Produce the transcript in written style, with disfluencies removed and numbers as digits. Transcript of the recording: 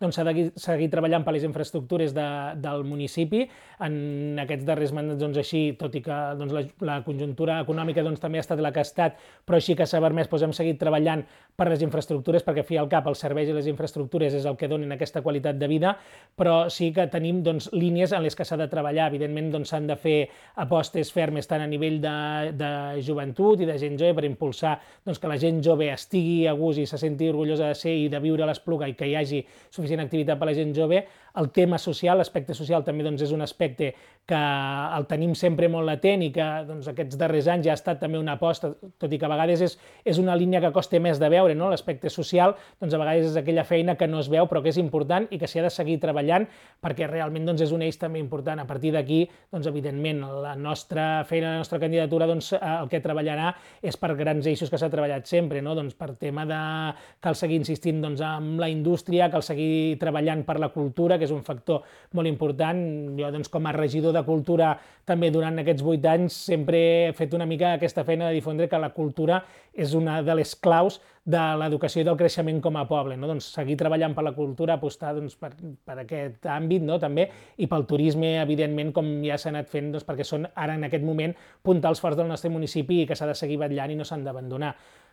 doncs s'ha de seguir treballant per les infraestructures del municipi. En aquests darrers mandats, doncs, així, tot i que doncs, la conjuntura econòmica doncs, també ha estat la que ha estat, però així que s'ha permès, doncs, hem seguit treballant per les infraestructures, perquè al fi i al cap els serveis i les infraestructures és el que donen aquesta qualitat de vida, però sí que tenim doncs, línies en les que s'ha de treballar. Evidentment doncs, s'han de fer apostes fermes tant a nivell de joventut i de gent jove per impulsar doncs, que la gent jove estigui a gust i se senti orgullosa de ser i de viure a l'Espluga i que hi hagi suficient activitat per a la gent jove. El tema social, l'aspecte social també doncs, és un aspecte que el tenim sempre molt latent i que doncs, aquests darrers anys ja ha estat també una aposta, tot i que a vegades és una línia que costa més de veure, no? L'aspecte social doncs, a vegades és aquella feina que no es veu però que és important i que s'hi ha de seguir treballant perquè realment doncs, és un eix també important. A partir d'aquí, doncs, evidentment, la nostra feina, la nostra candidatura, doncs, el que treballarà és per grans eixos que s'ha treballat sempre, no? Doncs, per tema de cal seguir insistint doncs, amb la indústria, cal seguir treballant per la cultura, que és un factor molt important. Jo, doncs, com a regidor de Cultura, també durant aquests 8 anys, sempre he fet una mica aquesta feina de difondre que la cultura és una de les claus de l'educació i del creixement com a poble, no? Doncs seguir treballant per la cultura, apostar doncs, per aquest àmbit, no? També, i pel turisme, evidentment, com ja s'ha anat fent, doncs, perquè són ara en aquest moment puntals forts del nostre municipi i que s'ha de seguir vetllant i no s'han d'abandonar.